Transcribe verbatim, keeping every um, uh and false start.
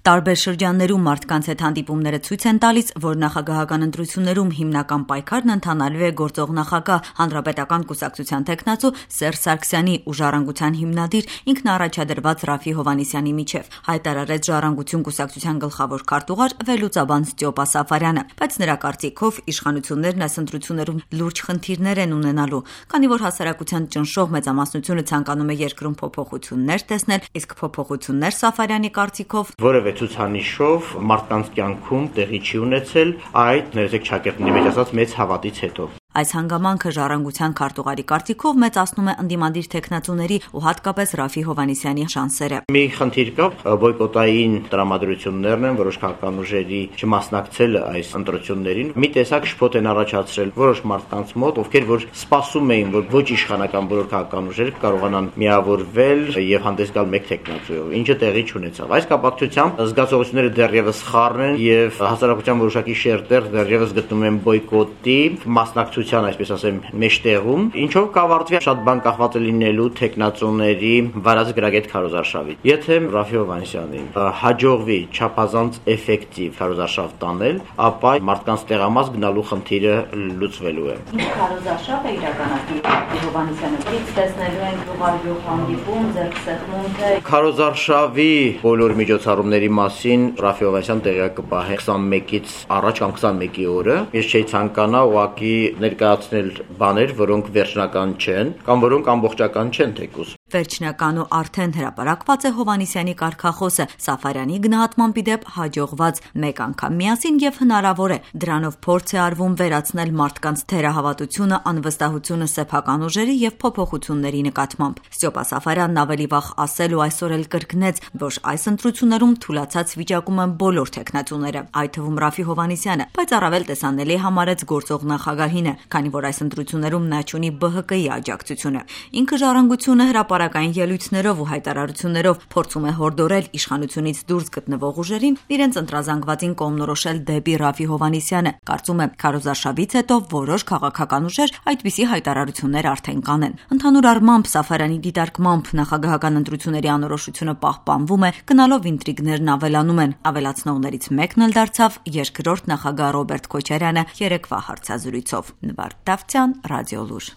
Տարբեր շրջաններում մարդկանց հետ հանդիպումները ցույց են տալիս, որ նախագահական ընտրություններում հիմնական պայքարն ընթանալու է գործող նախագահ հանրապետական կուսակցության թեկնածու Սերժ Սարգսյանի ու Ժառանգության հիմնադիր ինքնաառաջադրված Ռաֆֆի Հովհաննիսյանի միջև, հայտարարեց Ժառանգություն կուսակցության գլխավոր քարտուղար վերլուծաբան Ստյոպա Սաֆարյանը, բայց նրա կարծիքով իշխանություններն այս ընտրություններում լուրջ խնդիրներ են ունենալու, քանի որ հասարակության ճնշող մեծամասնությունը ցանկանում է երկրում փոփոխություններ տեսնել, իսկ փոփոխություններ Սաֆարյանի կարծիքով ցուցանիշով մարդկանց կյանքում տեղի չի ունեցել այդ ներեցեք ճակերտների մեջ ասած մեծ հավատից հետո։ Այս հանգամանքը Ժառանգության քարտուղարի կարծիքով մեծացնում է ընդդիմադիր թեկնածուների ու հատկապես Ռաֆֆի Հովհաննիսյանի շանսերը։ Մի խնդիր կա, բոյկոտային տրամադրություններն են, որոշ քաղաքական ուժերի չմասնակցել այս ընտրություններին։ Մի տեսակ շփոթ են առաջացրել որոշ մարդկանց մոտ, ովքեր որ սպասում էին, որ ոչ իշխանական բոլոր քաղաքական ուժերը կարողանան միավորվել եւ հանդես գալ մեկ թեկնածուով, ինչը տեղի չունեցավ։ Այս կապակցությամբ զգացողությունները դեռևս խառն են եւ հասարակության որոշակի շերտեր դեռևս գտնում են բոյկոտի մասնակցության, այսպես ասեմ, մեջտեղում, ինչով կավարտվի շատ բան կախված է լինելու թեկնածուների վարած գրագետ քարոզարշավի։ Եթե Ռաֆֆի Հովհաննիսյանին հաջողվի չափազանց էֆեկտիվ քարոզարշավ տանել, ապա մարդկանց տեղամաս գնալու խնդիրը լուծվելու է։ Ինչ քարոզարշավ է իրականացնի Հովհաննիսյանը։ Իսկ տեսնելու են ուղղագրող հանդիպում, ձեռքսեղմում թե քարոզարշավի բոլոր միջոցառումների մասին Ռաֆֆի Հովհաննիսյանը տեղյակ կպահի քսանմեկից առաջ կամ քսանմեկի օրը։ Ես չէի ցանկանա ուղղակի ներկայացնել բաներ, որոնք վերջնական չեն կամ որոնք ամբողջական չեն թեկուզ։ Վերջնական ու արդեն հրապարակված է Հովհաննիսյանի կարգախոսը Սաֆարյանի գնահատմամբ իդեպ հաջողված մեկ անգամ միասին եւ հնարավոր է դրանով փորձ է արվում վերացնել մարդկանց թերահավատությունը, անվստահությունը սեփական ուժերի եւ փոփոխությունների նկատմամբ։ Ստյոպա Սաֆարյանն ավելի վաղ ասել ու այսօր էլ կրկնեց, որ այս ընտրություններում թուլացած վիճակում են բոլոր թեկնածուները, այդ թվում Ռաֆֆի Հովհաննիսյանը, բայց առավել տեսանելի համարեց գործող նախագահինը, քանի որ այս ընտրություններում նա չունի B H K-ի աջակցությունը։ Ինքը Ժառանգությունը հրապարակային ելույթներով ու հայտարարություններով փորձում է հորդորել իշխանությունից դուրս գտնվող ուժերին իրենց ընտրազանգվածին կողմնորոշել դեպի Ռաֆֆի Հովհաննիսյանը։ Կարծում եմ, քարոզարշավից հետո որոշ քաղաքական ուժեր այդպիսի հայտարարություններ արդեն կանեն։ Ընդհանուր առմամբ Սաֆարյանի դիտարկմամբ նախագահական ընտրությունների անորոշությունը պահպանվում է, գնալով ինտրիգներն ավելանում են։ Ավելացնողներից մեկն էլ դարձավ երկրորդ նախագահ Ռոբերտ Քոչարյանը երեկվա հարցազրույցով։ Նվարդ Դավթյան, Ռադիոլուր։